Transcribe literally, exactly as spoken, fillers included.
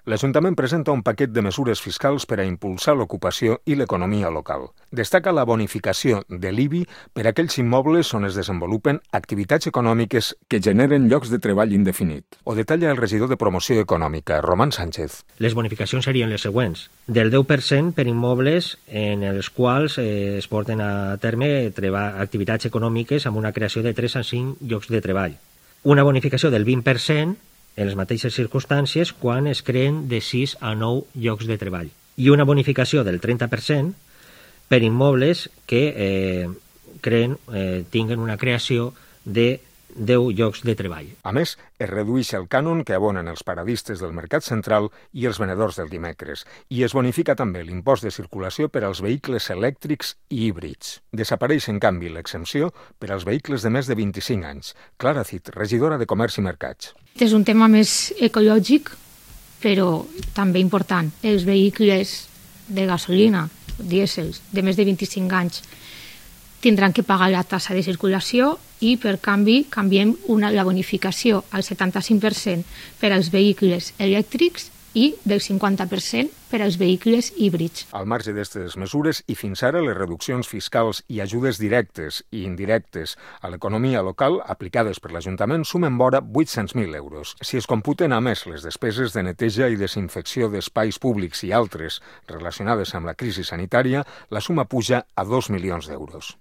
L'Ajuntament presenta un paquet de mesures fiscals per a impulsar l'ocupació i l'economia local. Destaca la bonificació de l'I B I per a aquells immobles on es desenvolupen activitats econòmiques que generen llocs de treball indefinit. Ho detalla el regidor de Promoció Econòmica, Román Sánchez. Les bonificacions serien les següents. Del deu per cent per immobles en els quals eh, es porten a terme activitats econòmiques amb una creació de tres a cinc llocs de treball. Una bonificació del vint per cent en les mateixes circumstàncies quan es creen de sis a nou llocs de treball. I una bonificació del trenta per cent per immobles que eh, creen, eh, tinguen una creació de deu llocs de treball. A més, es redueix el cànon que abonen els paradistes del Mercat Central i els venedors del dimecres, i es bonifica també l'impost de circulació per als vehicles elèctrics i híbrids. Desapareix, en canvi, l'exempció per als vehicles de més de vint-i-cinc anys. Clara Cid, regidora de Comerç i Mercats. És un tema més ecològic, però també important. Els vehicles de gasolina, dièsels, de més de vint-i-cinc anys, tindran que pagar la tassa de circulació i, per canvi, canviem una, la bonificació al setanta-cinc per cent per als vehicles elèctrics i del cinquanta per cent per als vehicles híbrids. Al marge d'aquestes mesures i fins ara les reduccions fiscals i ajudes directes i indirectes a l'economia local aplicades per l'Ajuntament sumen vora vuit-cents mil euros. Si es computen a més les despeses de neteja i desinfecció d'espais públics i altres relacionades amb la crisi sanitària, la suma puja a dos milions d'euros.